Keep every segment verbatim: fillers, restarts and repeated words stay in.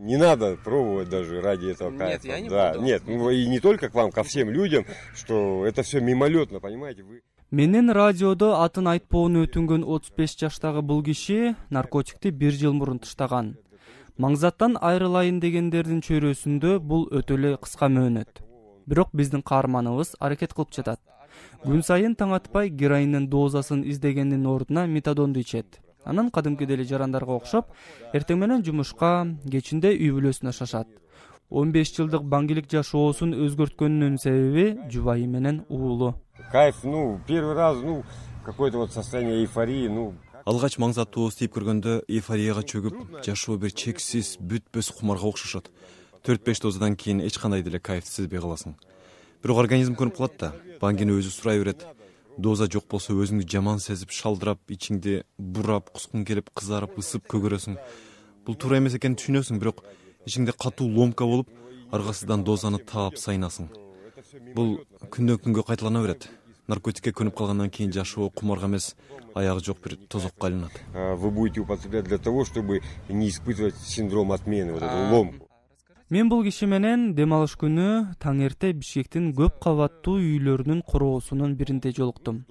Не надо пробовать даже ради этого кайфа. Нет, я не да, буду. Нет, ну и не только к вам, ко всем людям, что это все мимолетно, понимаете, вы... Менин радиодо атын айтпоону өтүнгөн отуз беш жаштагы бул киши наркотикти бир жыл мурун таштаган. Маңзаттан айрылайын дегендердин чөйрөсүндө бул өтө эле кыска мөөнөт. Бирок биздин каарманыбыз аракет кылып жатат. Күн сайын таң атпай героиндин дозасын издегендин ордуна метадонду ичет. Анан кадимкидей эле жарандарга окшоп, эртең менен жумушка, кечинде үй бүлөсүнө шашат. он беш жылдык баңгилик жашоосун өзгөрткөнүнүн себеби жубайы менен уулу. Кайф, ну, первый раз, ну, какое-то вот состояние эйфории, ну... Алгач маңзаттуу istеп көргөндө эйфорияга чөгүп, жашоо бир чексиз, бүтпөс кумарга окшошот. төрт беш дозадан кийин эч кандай деле кайфты сезбей каласың. Бирок организм көрүп калат да, баңгини өзү сурай берет. Доза жок болсо өзүңдү жаман сезип, шалдырап, ичиңди бурап, кускуң келип, кызарып, ысып көгөрөсүң. Бул туура эмес экенин түшүнөсүң, бирок ичиңде катуу ломка болуп, аргасынан дозаны таап сайнасың. Бул күндөн күнгө кайталана берет. Наркотикке көнүп калгандан кийин жашоо кумарга эмес, аягы жок бир тозокко айланат. Вы будете употреблять для того, чтобы не испытывать синдром отмены, вот эту ломку. Мен бул киши менен дем алыш күнү таң эрте Бишкектин көп кабаттуу үйлөрүнүн короосунун биринде жолуктум.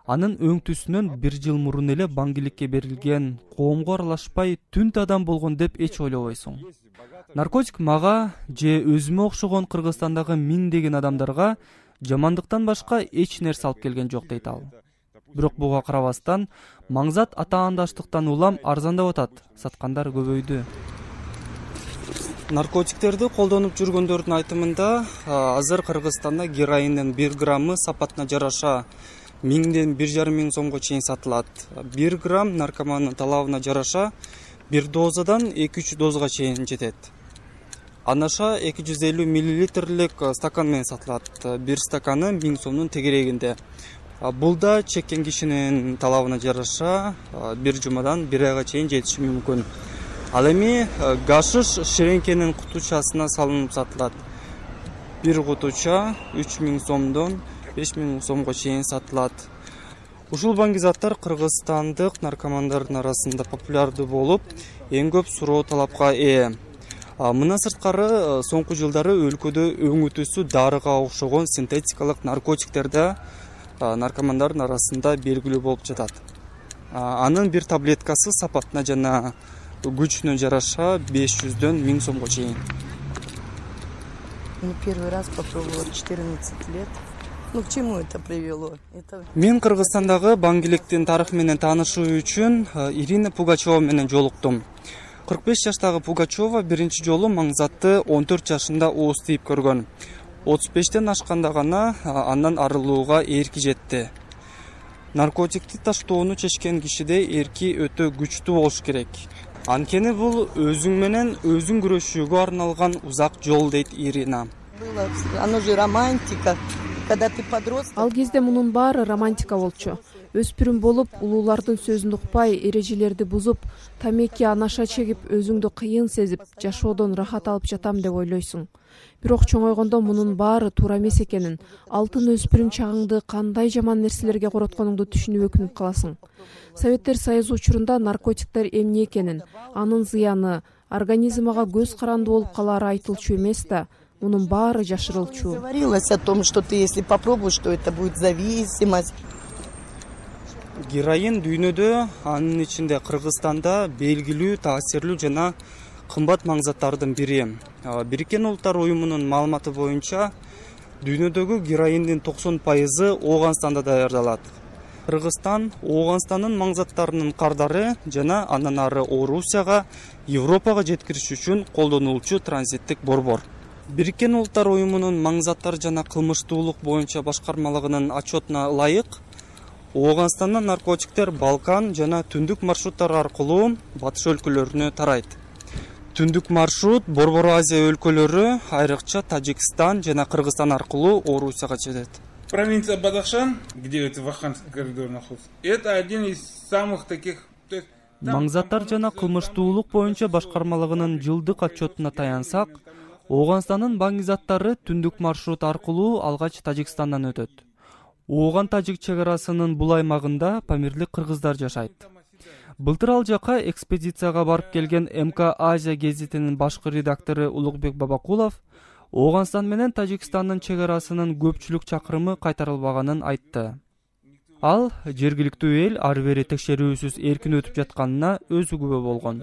Анын өң түсүнөн бир жыл мурун эле баңгиликке берилген, коомго аралашпай түнт адам болгон деп эч ойлобойсуң. Наркотик мага же өзүмө окшогон Кыргызстандагы миңдеген адамдарга жамандыктан башка эч нерсе алып келген жок дейт ал. Бирок буга карабастан, маңзат атаандаштыктан улам арзандап атат, саткандар көбөйдү. Наркотиктерди колдонуп жүргөндөрдүн айтымында, азыр Кыргызстанда героиндин бир граммы сапатына жараша миңден бир жарым миң сомго чейин сатылат. бир грамм наркомандын талабына жараша бир дозадан эки үч дозага чейин жетет. Анаша эки жүз элүү миллилитрлик стакан менен сатылат. Бир стаканы миң сомдун тегерегинде. Бул да чеккен кишинин талабына жараша бир жумадан бир айга чейин жетиши мүмкүн. Ал эми гашиш ширеңкенин кутучасына салынып сатылат. Бир кутуча үч миң сомдон беш миң сомго чейин сатылат. Ушул баңгизаттар кыргызстандык наркомандардын арасында популярдуу болуп, эң көп суроо талапка ээ. Мына сырткары соңку жылдары өлкөдө өңүтүүсү дарыга окшогон синтетикалык наркотиктер да наркомандардын арасында белгилүү болуп жатат. Анын бир таблеткасы сапатына жана күчүнө жараша беш жүздөн миң сомго чейин. Ну, первый раз попробовала четырнадцать лет. Ну, к чему это привело? Это... Мен Кыргызстандагы баңгиликтин тарыхы менен таанышуу үчүн Ирина Пугачева менен жолуктум. кырк беш жаштагы Пугачева биринчи жолу маңзатты он төрт жашында ооз тийип көргөн. отуз бештен ашканда гана андан арылууга эрки жетти. Наркотикти таштоону чечкен кишиде эрки өтө күчтүү болуш керек. Анткени бул өзүң менен өзүң күрөшүүгө арналган узак жол дейт Ирина. Оно же романтика. Когда ты подросток... Ал кезде мунун баары романтика болчу. Өспүрүм болуп, улуулардын сөзүн укпай, эрежелерди бузуп, тамеки анаша чегип, өзүңдү кыйын сезип, жашоодон рахат алып жатам деп ойлойсуң. Бирок чоңойгондо мунун баары туура эмес экенин, алтын өспүрүм чагыңды кандай жаман нерселерге коротконуңду түшүнүп өкүнүп каласың. Советтер Союзу учурунда наркотиктер эмне экенин, анын зыяны, организмага көз каранды болуп калаары айтылчу эмес да, мунун баары жашырылчу. Говорилось о том, что ты если попробуешь, что это будет зависимость. Героин дүйнөдө, анын ичинде Кыргызстанда белгилүү, таасирлүү жана кымбат маңзаттардын бири. Бириккен Улуттар уюмунун маалыматы боюнча, дүйнөдөгү героиндин токсон пайызы Ооганстанда даярдалат. Кыргызстан Ооганстандын маңзаттарынын кардары жана андан ары Орусияга, Европага жеткириш үчүн колдонулчу транзиттик борбор. Бириккен Улуттар уюмунун маңзаттар жана кылмыштуулук боюнча башкармалыгынын отчетуна ылайык, Ооганстандан наркотиктер Балкан жана түндүк маршруттар аркылуу батыш өлкөлөрүнө тарайт. Түндүк маршрут Борбор Азия өлкөлөрү, айрыкча Тажикстан жана Кыргызстан аркылуу Орусияга жетет. Провинция Бадахшан, где это Ваханский коридор находится, это один из самых таких... Маңзаттар жана кылмыштуулук боюнча башкармалыгынын жылдык отчетуна таянсак, Ооганстандын баңгизаттары түндүк маршрут аркылуу алгач Тажикстандан өтөт. Ооган-Тажик чек арасынын бул аймагында памирлик кыргыздар жашайт. Былтыр ал жака экспедицияга барып келген эм ка Азия гезитинин башкы редактору Улукбек Бабакулов Ооганстан менен Тажикстандын чек арасынын көпчүлүк чакырымы кайтарылбаганын айтты. Ал жергиликтүү эл ары бери текшерүүсүз эркин өтүп жатканына өзү күбө болгон.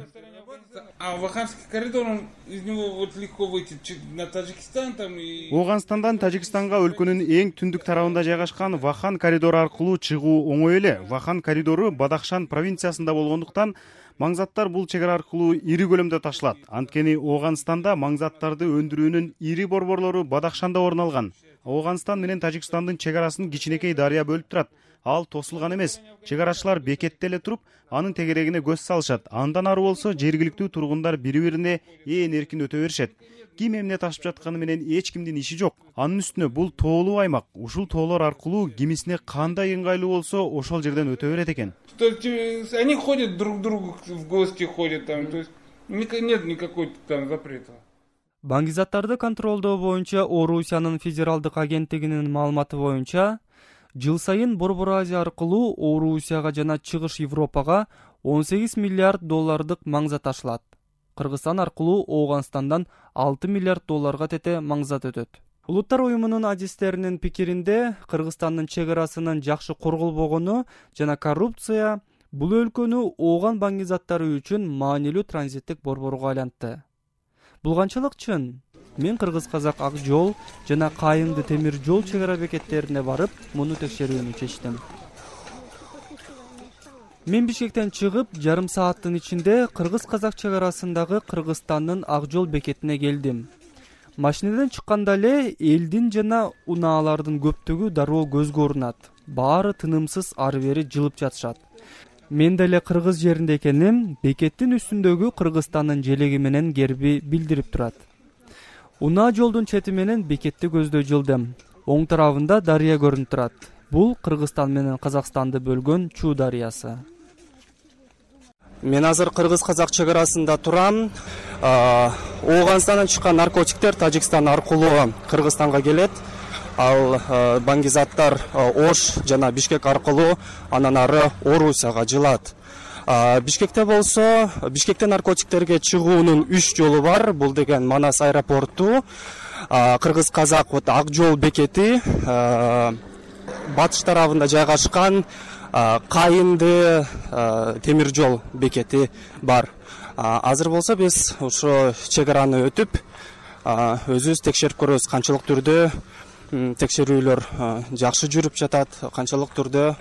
А Ваханский коридор, он из него вот легко выйти на Таджикистан там и... Ооганстандан Тажикстанга өлкөнүн эң түндүк тарабында жайгашкан Вахан коридору аркылуу чыгуу оңой эле. Вахан коридору Бадахшан провинциясында болгондуктан маңзаттар бул чек ара аркылуу ири көлөмдө ташылат. Анткени Ооганстанда маңзаттарды өндүрүүнүн ири борборлору Бадахшанда орун алган. Ооганстан менен Тажикстандын чек арасын кичинекей дарыя бөлүп турат. Ал тосулган эмес. Чек арачылар бекетте эле туруп, анын тегерегине көз салышат. Андан ары болсо жергиликтүү тургундар бири-бирине ээн эркин өтө беришет. Ким эмне ташып жатканы менен эч кимдин иши жок. Анын үстүнө бул тоолуу аймак. Ушул тоолор аркылуу кимисине кандай ыңгайлуу болсо, ошол жерден өтө берет экен. То есть они ходят друг к другу в гости ходят там, то есть нет никакой там запрета. Баңгизаттарды контролдоо боюнча Орусиянын федералдык агенттигинин маалыматы боюнча жыл сайын Борбор Азия аркылуу Орусияга жана Чыгыш Европага он сегиз миллиард доллардык маңзат ташылат. Кыргызстан аркылуу Ооганстандан алты миллиард долларга тете маңзат өтөт. Улуттар уюмунун адистеринин пикиринде Кыргызстандын чек арасынын жакшы корголбогону жана коррупция бул өлкөнү Ооган баңгизаттары үчүн маанилүү транзиттик борборго айлантты. Бул канчалык чын? Мен Кыргыз-Казак ак жол жана Кайыңды темир жол чек ара бекеттерине барып, муну текшерүүнү чечтим. Мен Бишкектен чыгып, жарым сааттын ичинде Кыргыз-Казак чек арасындагы Кыргызстандын ак жол бекетине келдим. Машинеден чыкканда эле элдин жана унаалардын көптүгү дароо көзгө урунат. Баары тынымсыз ары бери жылып жатышат. Мен деле кыргыз жеринде экеним, бекеттин үстүндөгү Кыргызстандын желеги менен герби билдирип турат. Унаа жолдун чети менен бекетти көздөй жылдым. Оң тарабында дарыя көрүнүп турат. Бул Кыргызстан менен Казакстанды бөлгөн Чуу дарыясы. Мен азыр Кыргыз-Казак чек арасында турам. Ооганстандан чыккан наркотиктер Тажикстан аркылуу Кыргызстанга келет. Ал баңгизаттар Ош жана Бишкек аркылуу анан ары Орусияга жылат. Бишкекте болсо, Бишкектен наркотиктерге чыгуунун үч жолу бар. Бул деген Манас аэропорту, Кыргыз-Казак вот ак жол бекети, батыш тарабында жайгашкан Кайыңды темир жол бекети бар. Азыр болсо биз ошо чек араны өтүп, өзүбүз текшерип көрөбүз канчалык түрдө текшерүүлөр жакшы жүрүп жатат, канчалык түрдө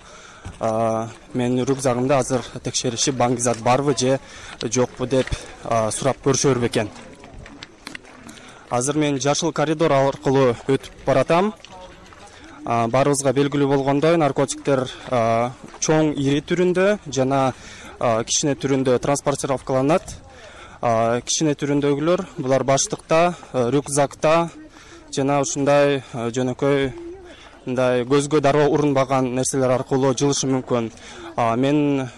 менин рюкзагымда азыр текшеришип баңгизат барбы же жокпу деп сурап көрүшөр бекен. Азыр мен жашыл коридор аркылуу өтүп баратам. Баарыбызга белгилүү болгондой, наркотиктер чоң ири түрүндө жана кичине түрүндө транспортировкаланат. Кичине түрүндөгүлөр булар баштыкта, рюкзакта жана ушундай жөнөкөй мындай көзгө дароо урунбаган нерселер аркылуу жылышы мүмкүн. Мен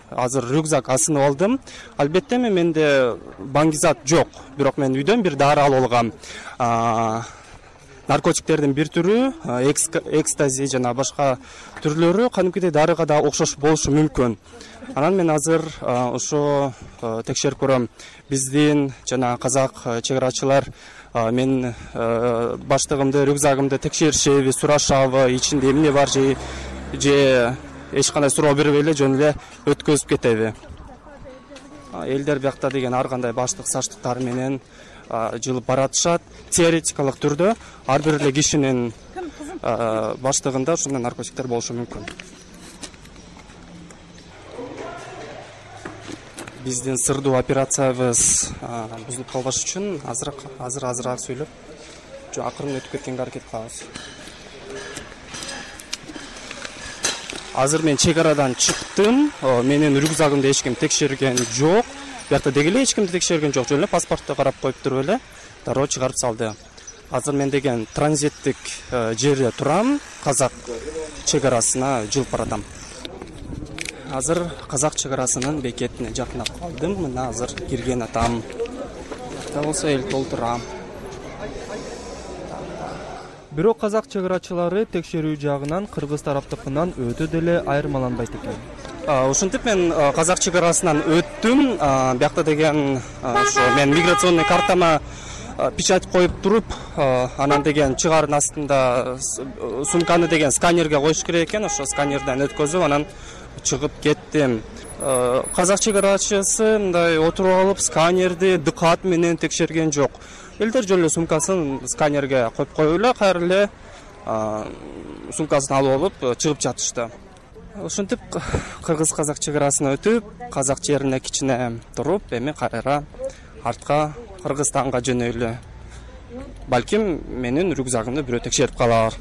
азыр рюкзак асынып алдым. Албетте менде баңгизат жок, бирок мен үйдөн бир дары алып алгам. Наркотиктердин бир түрү, экстази жана башка түрлөрү кадимкидей дарыга да окшош болушу мүмкүн. Анан мен азыр ошо текшерип көрөм. Биздин жана казак чек арачылар мен баштыгымды, рюкзагымды текшеришеби, сурашабы, ичинде эмне бар же же эч кандай суроо бербей эле жөн эле өткөзүп кетеби. Элдер биякта деген ар кандай баштык саштыктары менен жылып баратышат. Теоретикалык түрдө ар бир эле кишинин баштыгында ушундай наркотиктер болушу мүмкүн. Биздин сырдуу операциябыз бузулуп калбаш үчүн азыр азыр азыраак сүйлөп, акырын өтүп кеткенге аракет кылабыз. Азыр мен чек арадан чыктым. Менин рюкзагымды эч ким текшерген жок. Биякта деги эле эч кимди текшерген жок. Жөн эле паспортто карап коюп туруп эле дароо чыгарып салды. Азыр мен деген транзиттик жерде турам. Казак чек арасына жылып баратам. Азыр казак чек арасынын бекетине жакындап калдым. Мына азыр кирген атам. Да болсо эл толтурам. Бирок казак чек арачылары текшерүү жагынан кыргыз тараптыкынан өтө деле айырмаланбайт экен. Ошентип мен казак чек арасынан өттүм. Биякта деген ошо мен миграционный картама печать коюп туруп, анан деген чыгаардын астында сумканы деген сканерге коюш керек экен. Ошо сканерден өткөзүп, анан чыгып кеттим. Казак чек арачысы мындай отуруп алып сканерди дыкат менен текшерген жок. Элдер жөн эле сумкасын сканерге коюп коюп эле кайра эле сумкасын алып алып чыгып жатышты. Ошентип кыргыз казак чек арасына өтүп, казак жерине кичине туруп, эми кайра артка Кыргызстанга жөнөйлү. Балким менин рюкзагымды бирөө текшерип калар.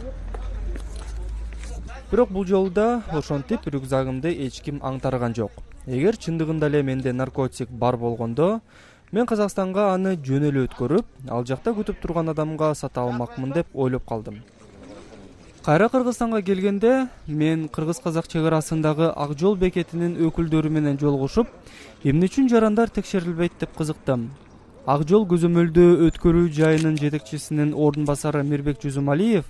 Бирок бул жолу да ошентип рюкзагымды эч ким аңтарган жок. Эгер чындыгында эле менде наркотик бар болгондо, мен Казакстанга аны жөн эле өткөрүп, ал жакта күтүп турган адамга сата алмакмын деп ойлоп калдым. Кайра Кыргызстанга келгенде мен кыргыз-казак чек арасындагы Ак жол бекетинин өкүлдөрү менен жолугушуп, эмне үчүн жарандар текшерилбейт деп кызыктым. Ак жол көзөмөлдөө өткөрүү жайынын жетекчисинин ордун басары Мирбек Жүзүмалиев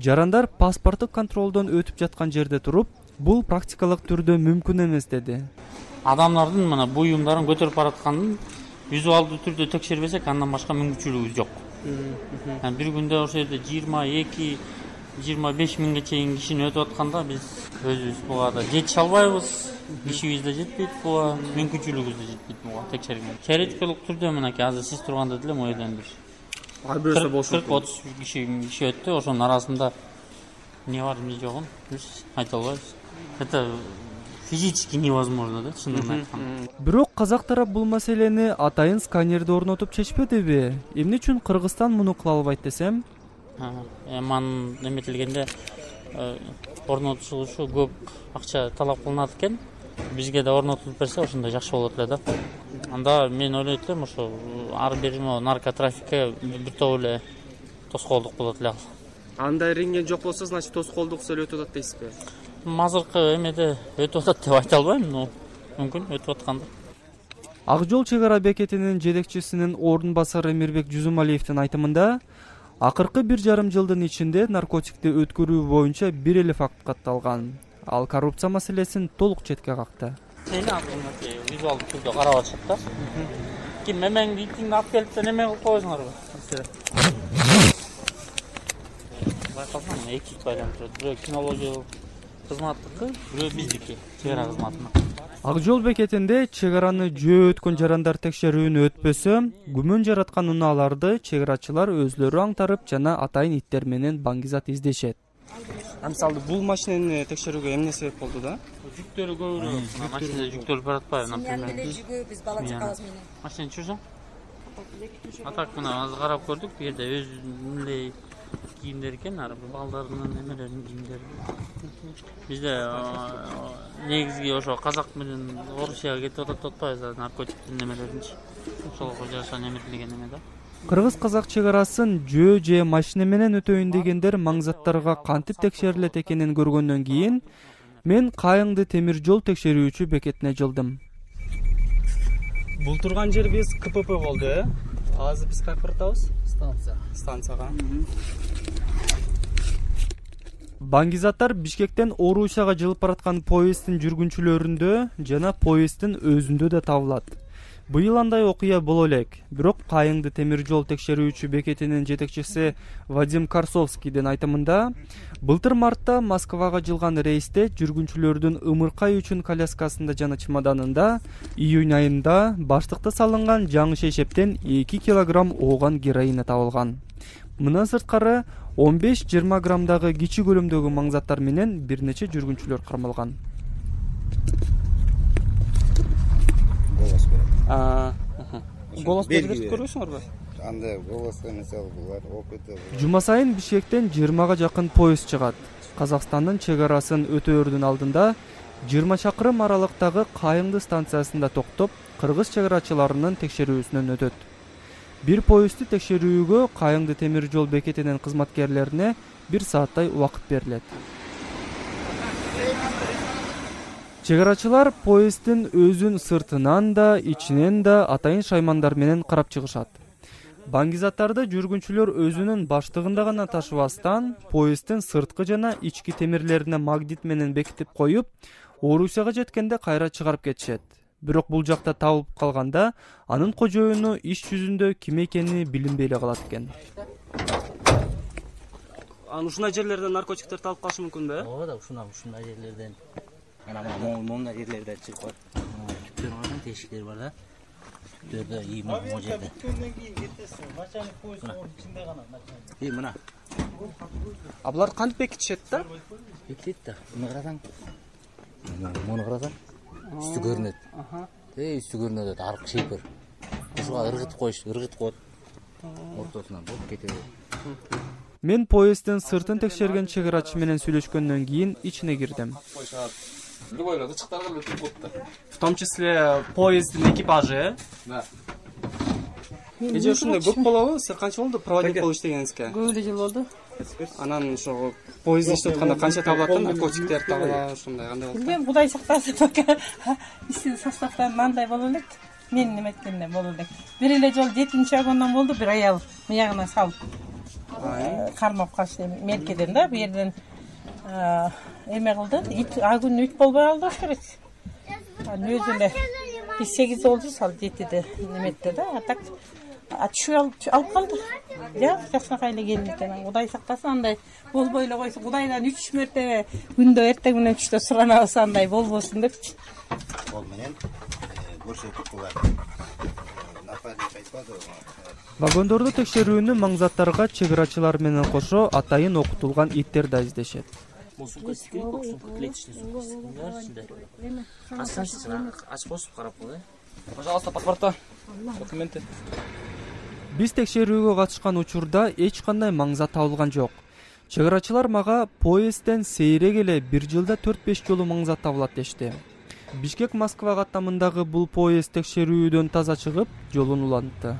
жарандар паспорттук контролдон өтүп жаткан жерде туруп, бул практикалык түрдө мүмкүн эмес деди. Адамдардын мына буюмдарын көтөрүп баратканын визуалдуу түрдө текшербесек, андан башка мүмкүнчүлүгүбүз жок. Бир күндө ошол жерде жыйырма эки жыйырма беш миңге чейин кишини өтүп атканда биз өзүбүз буга да жетише албайбыз. Кишибиз да жетпейт, буга мүмкүнчүлүгүбүз да жетпейт буга текшерген. Теоретикалык түрдө мынакей азыр сиз турганда деле могу жерден бир кырк отуз киши киши өттү. Ошонун арасында эмне бар эмне жогун биз айта албайбыз. Это физически невозможно да, чындыгын айтканда. Бирок казак тарап бул маселени атайын сканерди орнотуп чечпедиби? Эмне үчүн Кыргызстан муну кыла албайт десем? Эман эметилгенде орнотулушу көп акча талап кылынат экен. Бизге да орнотулуп берсе ошондой жакшы болот эле да. Анда мен ойлойт элем ошо ар бир наркотрафикке бир топ эле тоскоолдук болот эле. Андай иринген жок болсо, значит тоскоолдук өтүп атат дейсизби? Азыркы эмеде өтүп атат деп айта албайм, но мүмкүн өтүп аткандыр. Ак жол чек ара бекетинин жетекчисинин ордун басары Мирбек Жүзүмалиевдин айтымында, акыркы бир жарым жылдын ичинде наркотикти өткөрүү боюнча бир эле факт катталган. Ал коррупция маселесин толук четке какты. Сени атымды визуалдуу түрдө карап атышат да. Ким мемеңди итиңди алып келип неме кылып койсуңарбы? Байкалсаң эки байланып турат. Бирөө кинология кызматтыкы, бирөө биздики, чек ара кызматына. Ак жол бекетинде чек араны жөө өткөн жарандар текшерүүнү өтпөсө, күмөн жараткан унааларды чек арачылар өзлөрү аңтарып жана атайын иттер менен баңгизат издешет. Мисалы бул машинени текшерүүгө эмне себеп болду да? Жүктөрү көбүрөөк, машинада жүктөр баратпайбы, например. Мен деле жүгү биз бала чакабыз менен. Машина жүрсөң? Атак мына азыр карап көрдүк, бу жерде өз мындай кийимдер экен, ар балдардын немелеринин кийимдери. Бизде негизги ошо казак менен Орусияга кетип атат деп атпайбыз, наркотиктин немелеринчи. Ошолго жашан эметилген эме да. Кыргыз-казак чек арасын жөө же машина менен өтөйүн дегендер маңзаттарга кантип текшерилет экенин көргөндөн кийин мен Кайыңды темир жол текшерүүчү бекетине жылдым. Бул турган жер биз К П П болду, э? Азыр биз кайка баратабыз? Станция. Станцияга. Баңгизаттар Бишкектен Орусияга жылып бараткан поезддин жүргүнчүлөрүндө жана поезддин өзүндө да табылат. Быйыл андай окуя боло элек. Бирок Кайыңды темир жол текшерүүчү бекетинин жетекчиси Вадим Карсовскийдин айтымында, былтыр мартта Москвага жылган рейсте жүргүнчүлөрдүн ымыркай үчүн коляскасында жана чемоданында июнь айында баштыкта салынган жаңы шешептен эки килограмм ооган героина табылган. Мындан сырткары он беш жыйырма граммдагы кичи көлөмдөгү маңзаттар менен бир нече жүргүнчүлөр кармалган. Голос берип көрөсүңөрбү? Андай голос мисалы булар опыты. Жума сайын Бишкектен жыйырмага жакын поезд чыгат. Казакстандын чек арасын өтөөрдүн алдында жыйырма чакырым аралыктагы Кайыңды станциясында токтоп, кыргыз чек арачыларынын текшерүүсүнөн өтөт. Бир поездди текшерүүгө Кайыңды темир жол бекетинин кызматкерлерине бир сааттай убакыт берилет. Чек арачылар поезддин өзүн сыртынан да, ичинен да атайын шаймандар менен карап чыгышат. Баңгизаттарды жүргүнчүлөр өзүнүн баштыгында гана ташыбастан, поезддин сырткы жана ички темирлерине магнит менен бекитип коюп, Орусияга жеткенде кайра чыгарып кетишет. Бирок бул жакта табылып калганда анын кожоюну иш жүзүндө ким экени билинбей эле калат экен. Анан ушундай жерлерден наркотиктерди алып калышы мүмкүнбү? Ооба да, ушундай ушундай жерлерден. Ana monda yerlerden çıkıyor. Tüplerin oradan teşikleri var da. Tüplerde iyi mi o yerde? İyi mi na? Ablar kantip bekitişet da? Bekitет da. Bunu karasan. Bunu karasan. Üstü görünüyor. Ey üstü görünüyor da arık şey var. Kuşuğa ırgıt koyuş, ırgıt koyup. Ortasından bulup ketiyor. Мен поезддин сыртын текшерген чек менен сүйлөшкөндөн кийин ичине кирдим. Любой чыктарган өтүп калды. В том числе поезддин экипажы. Да. Эже ушундай көп болобу? Сиз канча болду проводник болуп иштегениңизге? Көп эле жыл болду. Анан ошо поезд иштеп атканда канча табылат да? Наркотиктер табыла, ушундай кандай болот? Билбейм, Кудай сактасын, пока иштин составдан мындай боло элек. Мен неме эткенде боло элек. Бир эле жол жетинчи вагондон болду, бир аял мыягына салып. Кармап калышты меркеден да, бу жерден эме кылды. Ит а күн үт болбой калды керек. Анан өзү эле бир сегиз болду, сал жетиде неметти да. А так атышып алып калды. Я жакшынакай эле келин экен. Кудай сактасын, андай болбой эле койсун. Кудайдан үч мерте күндө эртең менен түштө суранабыз, андай болбосун депчи. Ол менен көрсөтүп булар. Вагондорду текшерүүнү маңзаттарга чек менен кошо атайын окутулган иттер да издешет. Бул сумка секирет, бул сумка клеточный сумка. Астан ачып косуп карап кой. Пожалуйста, паспорта, документы. Биз текшерүүгө катышкан учурда эч кандай маңзат табылган жок. Чек мага поездден сейрек эле бир жылда төрт беш жолу маңзат табылат дешти. Бишкек Москва каттамындагы бул поезд текшерүүдөн таза чыгып, жолун улантты.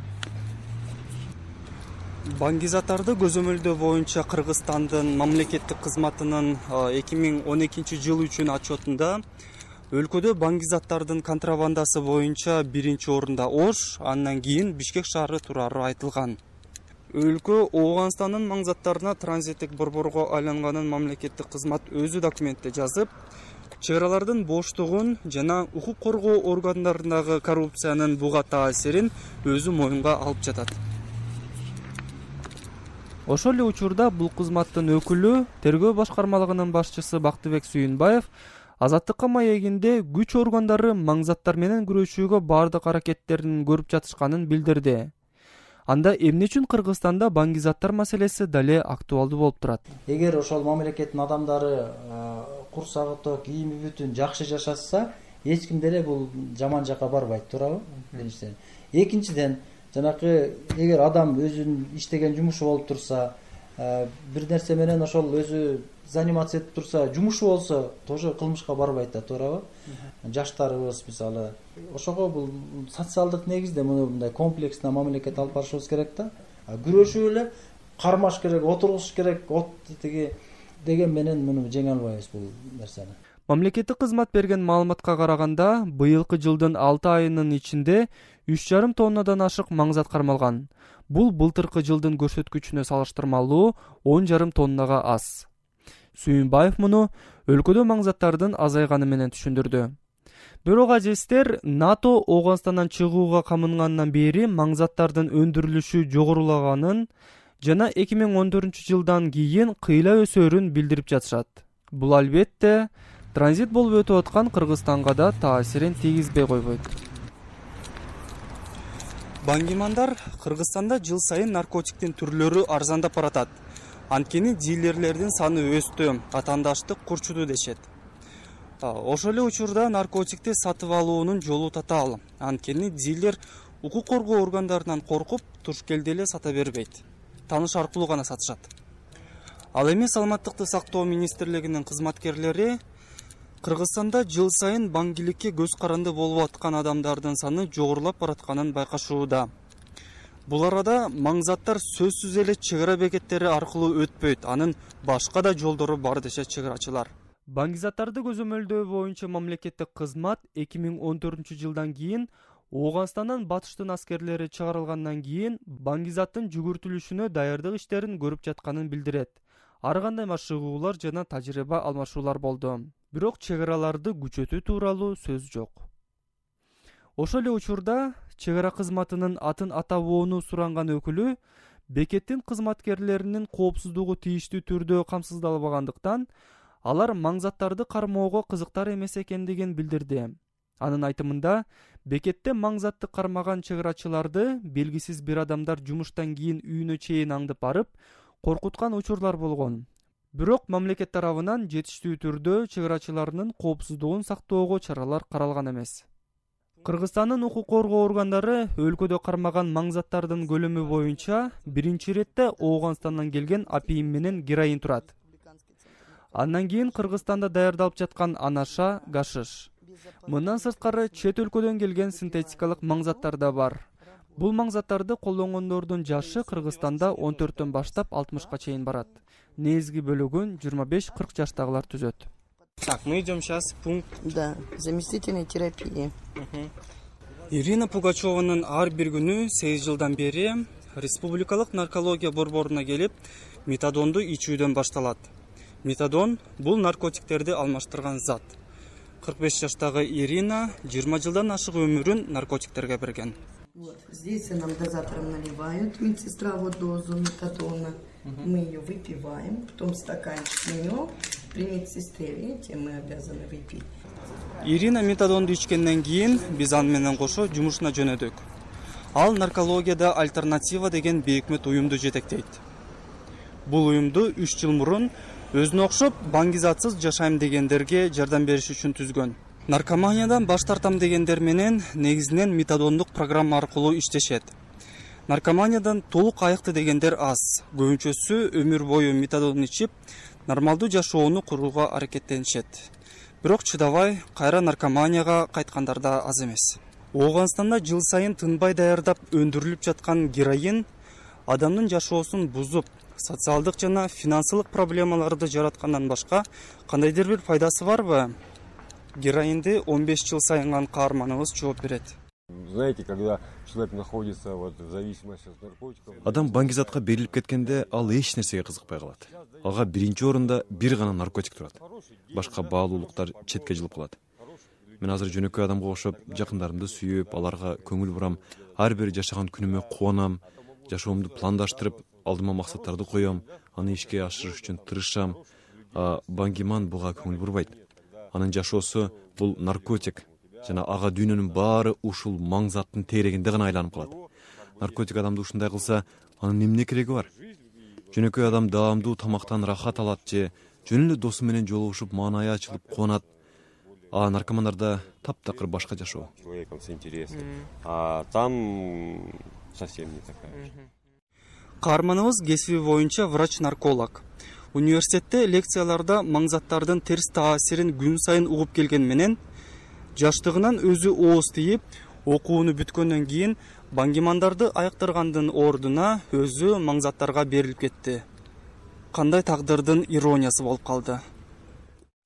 Баңгизаттарды көзөмөлдөө боюнча Кыргызстандын мамлекеттик кызматынын эки миң он экинчи жыл үчүн отчетунда өлкөдө баңгизаттардын контрабандасы боюнча биринчи орунда Ош, андан кийин Бишкек шаары турары айтылган. Өлкө Ооганстандын маңзаттарына транзиттик борборго айланганын мамлекеттик кызмат өзү документте жазып, чек аралардын боштугун жана укук коргоо органдарындагы коррупциянын буга таасирин өзү моюнга алып жатат. Ошол эле учурда бул кызматтын өкүлү, тергөө башкармалыгынын башчысы Бактыбек Сүйүнбаев азаттыкка маегинде күч органдары маңзаттар менен күрөшүүгө бардык аракеттерин көрүп жатышканын билдирди. Анда эмне үчүн Кыргызстанда баңгизаттар маселеси дале актуалдуу болуп турат? Эгер ошол мамлекеттин адамдары курсагы ток, кийими бүтүн жакшы жашаса, эч ким деле бул жаман жакка барбайт, туурабы? Биринчиден. Экинчиден, жанакы эгер адам өзүнүн иштеген жумушу болуп турса, бир нерсе менен ошол өзү заниматься этип турса, жумушу болсо, тоже кылмышка барбайт да, туурабы? Жаштарыбыз мисалы, ошого бул социалдык негизде мындай комплексно мамлекет алып барышыбыз керек да. Күрөшүп эле кармаш керек, отургуш керек, от тиги деген менен муну жеңе албайбыз бул нерсени. Мамлекеттик кызмат берген маалыматка караганда, быйылкы жылдын алты айынын ичинде үч жарым тоннадан ашык маңзат кармалган. Бул былтыркы жылдын көрсөткүчүнө салыштырмалуу он жарым тоннага аз. Сүйүнбаев муну өлкөдө маңзаттардын азайганы менен түшүндүрдү. Бирок ажестер НАТО Ооганстандан чыгууга камынгандан бери маңзаттардын өндүрүлүшү жогорулаганын жана эки миң он төртүнчү жылдан кийин кыйла өсөөрүн билдирип жатышат. Бул албетте транзит болуп өтүп аткан Кыргызстанга да таасирин тийгизбей койбойт. Баңгимандар Кыргызстанда жыл сайын наркотиктин түрлөрү арзандап баратат. Анткени дилерлердин саны өстү, атаандаштык курчуду дешет. Ошол эле учурда наркотикти сатып алуунун жолу татаал. Анткени дилер укук коргоо органдарынан коркуп, туш келди эле сата бербейт. Тааныш аркылуу гана сатышат. Ал эми саламаттыкты сактоо министрлигинин кызматкерлери Кыргызстанда жыл сайын баңгиликке көз каранды болуп аткан адамдардын саны жогорулап баратканын байкашууда. Бул арада маңзаттар сөзсүз эле чек ара бекеттери аркылуу өтпөйт, анын башка да жолдору бар дешет чек арачылар. Баңгизаттарды көзөмөлдөө боюнча мамлекеттик кызмат эки миң он төртүнчү жылдан кийин Ооганстандан батыштын аскерлери чыгарылгандан кийин баңгизаттын жүгүртүлүшүнө даярдык иштерин көрүп жатканын билдирет. Ар кандай машыгуулар жана тажрыйба алмашуулар болду. бирок чек араларды күчөтүү тууралуу сөз жок. Ошол эле учурда чек ара кызматынын атын атабоону суранган өкүлү бекеттин кызматкерлеринин коопсуздугу тийиштүү түрдө камсыздалбагандыктан алар маңзаттарды кармоого кызыктар эмес экендигин билдирди. Анын айтымында, бекетте маңзатты кармаган чек арачыларды белгисиз бир адамдар жумуштан кийин үйүнө чейин аңдып барып, коркуткан учурлар болгон. Бирок мамлекет тарабынан жетиштүү түрдө чек арачыларынын коопсуздугун сактоого чаралар каралган эмес. Кыргызстандын укук коргоо органдары өлкөдө кармаган маңзаттардын көлөмү боюнча биринчи иретте Ооганстандан келген апиим менен героин турат. Андан кийин Кыргызстанда даярдалып жаткан анаша, гашиш. Мындан сырткары чет өлкөдөн келген синтетикалык маңзаттар да бар. Бул маңзаттарды колдонгондордун жашы Кыргызстанда он төрттөн баштап алтымышка чейин барат. Негизги бөлүгүн жыйырма беш кырк жаштагылар түзөт. Так, мы идем сейчас в пункт. Да, заместительной терапии. Ирина Пугачеванын ар бир күнү сегиз жылдан бери республикалык наркология борборуна келип, метадонду ичүүдөн башталат. Метадон бул наркотиктерди алмаштырган зат. кырк беш жаштагы Ирина жыйырма жылдан ашык өмүрүн наркотиктерге берген. Вот, здесь нам дозатором наливают медсестра вот дозу метадона. Мы ее выпиваем, потом стаканчик меню при медсестре, видите, мы обязаны выпить. Ирина метадонду ичкенден кийин биз аны менен кошо жумушуна жөнөдүк. Ал наркологияда альтернатива деген бейикмет уюмду жетектейт. Бул уюмду үч жыл мурун өзүнө окшоп баңгизатсыз жашайм дегендерге жардам бериш үчүн түзгөн. Наркоманиядан баш тартам дегендер менен негизинен метадондук программа аркылуу иштешет. Наркоманиядан толук айыкты дегендер аз. Көбүнчөсү өмүр бою метадон ичип, нормалдуу жашоону курууга аракеттенишет. Бирок чыдабай кайра наркоманияга кайткандар да аз эмес. Ооганстанда жыл сайын тынбай даярдап өндүрүлүп жаткан героин адамдын жашоосун бузуп, социалдык жана финансылык проблемаларды жараткандан башка кандайдыр бир пайдасы барбы? Героинди он беш жыл сайынган каарманыбыз жооп берет. Знаете, когда человек находится вот в зависимости от наркотиков. Адам баңгизатка берилип кеткенде ал эч нерсеге кызыкпай калат. Ага биринчи орунда бир гана наркотик турат. Башка баалуулуктар четке жылып калат. Мен азыр жөнөкөй адамга окшоп жакындарымды сүйүп, аларга көңүл бурам, ар бир жашаган күнүмө кубанам, жашоомду пландаштырып, алдыма максаттарды коем, аны ишке ашырыш үчүн тырышам. А баңгиман буга көңүл бурбайт. Анын жашоосу бул наркотик жана ага дүйнөнүн баары ушул маңзаттын тегерегинде гана айланып калат. Наркотик адамды ушундай кылса, анын эмне кереги бар? Жөнөкөй адам даамдуу тамактан рахат алат же жөн эле досу менен жолугушуп маанайы ачылып кубанат. А наркомандарда таптакыр башка жашоо. Человеком с интересом. А там совсем не такая. Каарманыбыз кесиби боюнча врач-нарколог. Университетте лекцияларда маңзаттардын терс таасирин күн сайын угуп келген менен жаштыгынан өзү ооз тийип, окууну бүткөндөн кийин баңгимандарды айыктыргандын ордуна өзү маңзаттарга берилип кетти. Кандай тагдырдын ирониясы болуп калды.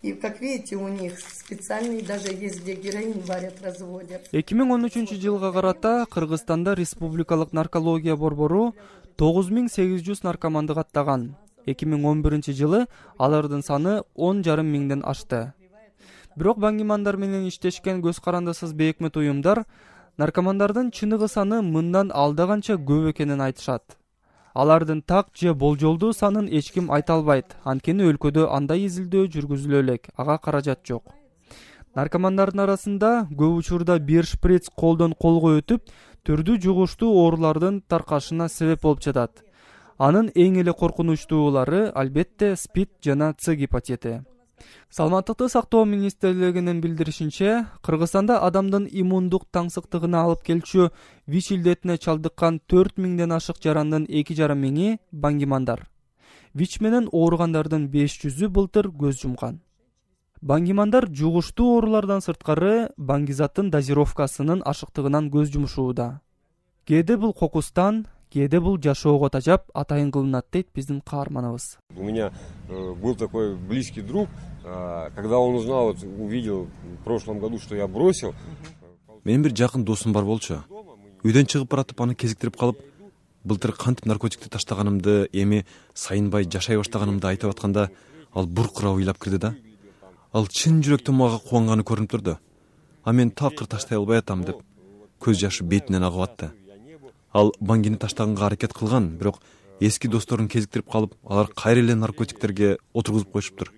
И как видите, у них специальный даже есть, где героин варят, разводят. эки миң он үчүнчү жылга карата Кыргызстанда республикалык наркология борбору тогуз миң сегиз жүз наркоманды каттаган. эки миң он биринчи жылы алардын саны он жарым миңден ашты. Бирок баңгимандар менен иштешкен көз карандысыз бейикмет уюмдар наркомандардын чыныгы саны мындан алдаганча көп экенин айтышат. Алардын так же болжолдуу санын эч ким айта албайт, анткени өлкөдө андай изилдөө жүргүзүлө элек, ага каражат жок. Наркомандардын арасында көп учурда бир шприц колдон колго өтүп, түрдүү жугуштуу оорулардын таркашына себеп болуп жатат. Анын эң эле коркунучтуулары албетте спид жана С гепатити. Саламаттыкты сактоо министрлигинин билдиришинче, Кыргызстанда адамдын иммундук таңсыктыгына алып келчү ВИЧ илдетине чалдыккан төрт миңден ашык жарандын эки жарым миңи баңгимандар. ВИЧ менен ооругандардын беш жүзү былтыр көз жумган. Баңгимандар жугуштуу оорулардан сырткары баңгизаттын дозировкасынын ашыктыгынан көз жумушууда. Кээде бул кокустан, кээде бул жашоого тажап атайын кылынат дейт биздин каарманыбыз. У меня э, был такой близкий друг, э, когда он узнал, вот, увидел в прошлом году, что я бросил. Менин бир жакын досум бар болчу. Үйдөн чыгып баратып аны кезиктирип калып, былтыр кантип наркотикти таштаганымды, эми сайынбай жашай баштаганымды айтып атканда, ал буркура ыйлап кирди да. ал чын жүрөктөн мага кубанганы көрүнүп турду. А мен такыр таштай албай атам деп көз жашы бетинен агып атты. Ал Бангини таштаганга аракет кылган, бирок эски досторун кезиктирип калып, алар кайра эле наркотиктерге отургузуп коюшуптур.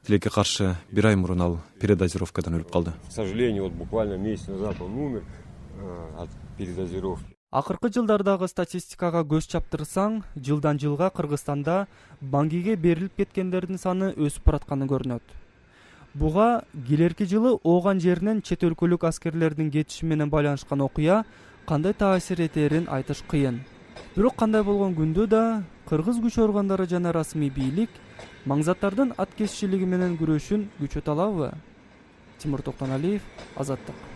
Тилекке каршы бир ай мурун ал передозировкадан өлүп калды. К сожалению, вот буквально месяц назад он умер от передозировки. Акыркы жылдардагы статистикага көз чаптырсаң, жылдан жылга Кыргызстанда бангиге берилип кеткендердин саны өсүп баратканы көрүнөт. Буга келерки жылы ооган жеринен чет өлкөлүк аскерлердин кетиши менен байланышкан окуя кандай таасир этерин айтыш кыйын. Бирок кандай болгон күндө да кыргыз күч органдары жана расмий бийлик маңзаттардын аткезчилиги менен күрөшүн күчөтө алабы? Тимур Токтоналиев, Азаттык.